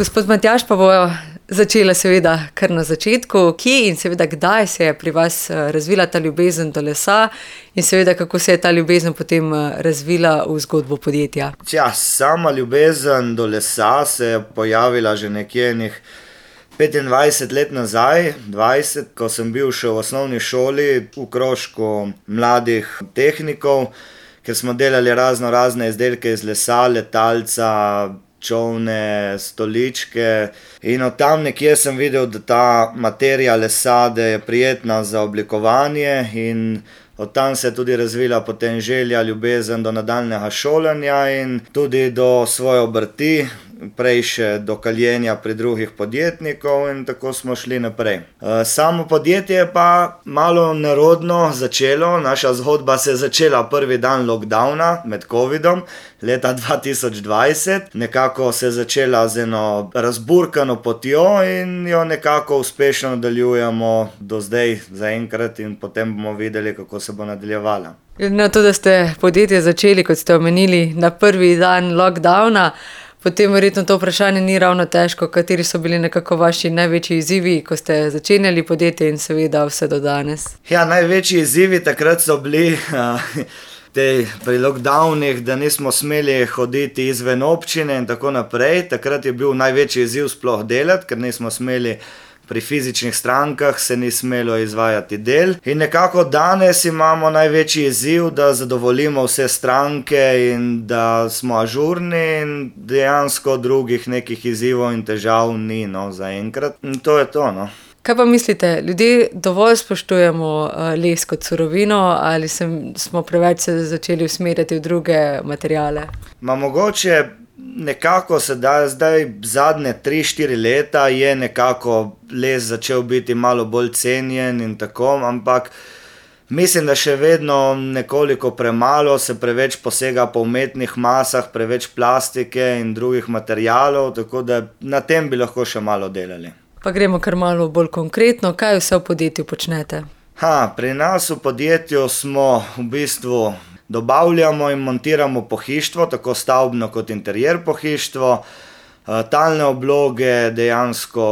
Gospod Matjaž, pa bo začela seveda kar na začetku. Kje in seveda kdaj se je pri vas razvila ta ljubezen do lesa in seveda kako se je ta ljubezen potem razvila v zgodbo podjetja? Sama ljubezen do lesa se je pojavila že nekje 25 let nazaj, 20, ko sem bil še v osnovni šoli v krožku mladih tehnikov, ker smo delali razne izdelke iz lesa, letalca, čolne, stoličke, in od tam nekje sem videl, da ta materija lesa, da je prijetna za oblikovanje, in od tam se je tudi razvila potem želja, ljubezen do nadaljnjega šolanja in tudi do svoje obrti, prej še do kaljenja pri drugih podjetnikov, in tako smo šli naprej. Samo podjetje je pa malo nerodno začelo. Naša zgodba se je začela prvi dan lockdowna med covidom leta 2020. Nekako se je začela z eno razburkano potjo in jo nekako uspešno nadaljujemo do zdaj zaenkrat, in potem bomo videli, kako se bo nadaljevala. Glede na to, da ste podjetje začeli, kot ste omenili, na prvi dan lockdowna, potem verjetno to vprašanje ni ravno težko. Kateri so bili nekako vaši največji izzivi, ko ste začenjali podjetje in seveda vse do danes? Največji izzivi takrat so bili pri lockdownih, da nismo smeli hoditi izven občine in tako naprej. Takrat je bil največji izziv sploh delati, ker nismo smeli pri fizičnih strankah, se ni smelo izvajati del. In nekako danes imamo največji izziv, da zadovoljimo vse stranke in da smo ažurni, in dejansko drugih nekih izzivov in težav ni, zaenkrat. In to je to, Kaj pa mislite, ljudje dovolj spoštujemo les kot surovino ali smo preveč se začeli usmerjati v druge materiale? Mogoče nekako zdaj zadnje 3-4 leta je nekako les začel biti malo bolj cenjen in tako, ampak mislim, da še vedno nekoliko premalo se preveč posega po umetnih masah, preveč plastike in drugih materialov, tako da na tem bi lahko še malo delali. Pa gremo kar malo bolj konkretno, kaj vse v podjetju počnete? Pri nas v podjetju smo v bistvu dobavljamo in montiramo pohištvo, tako stavbno kot interjer pohištvo, talne obloge, dejansko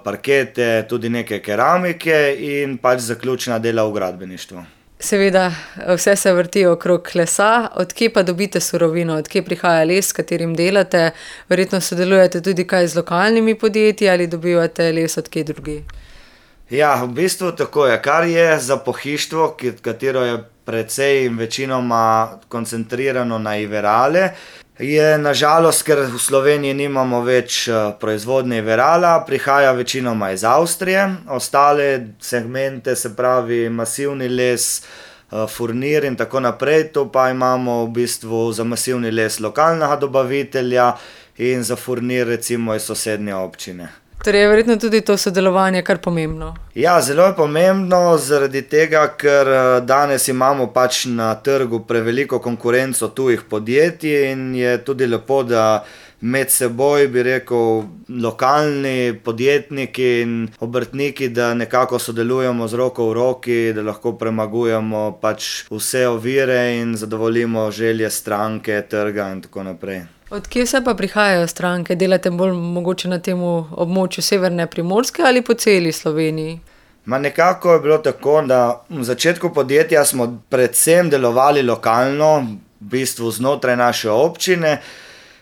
parkete, tudi neke keramike in zaključna dela v gradbeništvu. Seveda, vse se vrti okrog lesa. Od kje pa dobite surovino, od kje prihaja les, s katerim delate? Verjetno sodelujete tudi kaj z lokalnimi podjetji ali dobivate les od kje drugje? V bistvu tako je. Kar je za pohištvo, katero je precej in večinoma koncentrirano na Iverale, je nažalost, ker v Sloveniji nimamo več proizvodnje Iverala, prihaja večinoma iz Avstrije. Ostale segmente, se pravi masivni les, furnir in tako naprej, to pa imamo v bistvu za masivni les lokalnega dobavitelja in za furnir recimo iz sosednje občine. Torej je verjetno tudi to sodelovanje kar pomembno. Zelo je pomembno, zaradi tega, ker danes imamo na trgu preveliko konkurenco tujih podjetij in je tudi lepo, da med seboj, bi rekel, lokalni podjetniki in obrtniki, da nekako sodelujemo z roko v roki, da lahko premagujemo vse ovire in zadovoljimo želje stranke, trga in tako naprej. Od kje vse pa prihajajo stranke? Delate bolj mogoče na tem območju severne Primorske ali po celi Sloveniji? Nekako je bilo tako, da v začetku podjetja smo predvsem delovali lokalno, v bistvu znotraj naše občine.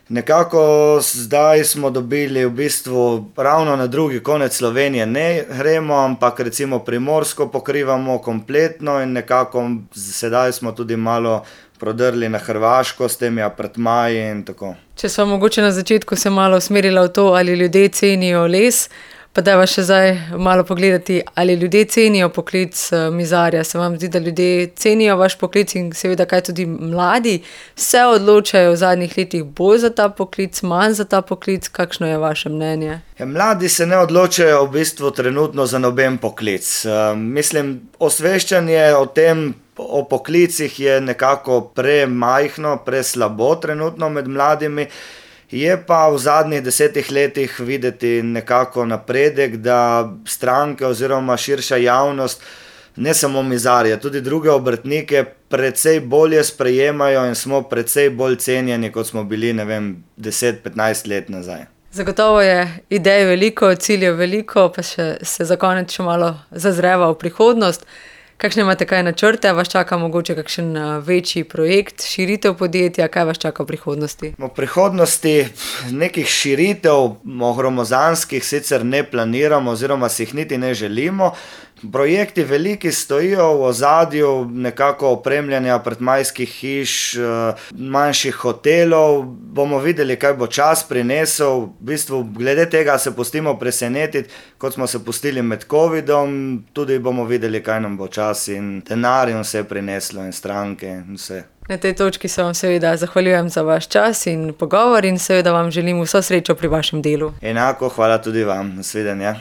Nekako zdaj smo dobili v bistvu ravno na drugi konec Slovenije ne gremo, ampak recimo Primorsko pokrivamo kompletno in nekako sedaj smo tudi malo prodrli na Hrvaško s temi apartmaji in tako. Če sva mogoče na začetku se malo usmerila v to, ali ljudje cenijo les, pa dajva še zdaj malo pogledati, ali ljudje cenijo poklic mizarja. Se vam zdi, da ljudje cenijo vaš poklic in seveda kaj tudi mladi se odločajo v zadnjih letih bolj za ta poklic, manj za ta poklic? Kakšno je vaše mnenje? Mladi se ne odločajo v bistvu trenutno za noben poklic. Mislim, osveščanje o poklicih je nekako premajhno, preslabo trenutno med mladimi. Je pa v zadnjih 10 letih videti nekako napredek, da stranke oziroma širša javnost, ne samo mizarje, tudi druge obrtnike precej bolje sprejemajo in smo precej bolj cenjeni, kot smo bili, 10-15 let nazaj. Zagotovo je idej veliko, ciljev veliko, pa se za konec še malo zazreva v prihodnost. Kakšne imate kaj načrte? Vas čaka mogoče kakšen večji projekt, širitev podjetja? Kaj vas čaka v prihodnosti? V prihodnosti nekih širitev gromozanskih sicer ne planiramo oziroma si jih niti ne želimo. Projekti veliki stojijo v ozadju, nekako opremljanja predmajskih hiš, manjših hotelov. Bomo videli, kaj bo čas prinesel. V bistvu glede tega se pustimo presenetiti, kot smo se pustili med covidom. Tudi bomo videli, kaj nam bo čas in denar in vse prineslo in stranke in vse. Na tej točki se vam seveda zahvaljujem za vaš čas in pogovor in seveda vam želim vso srečo pri vašem delu. Enako, hvala tudi vam. Nasvidenja.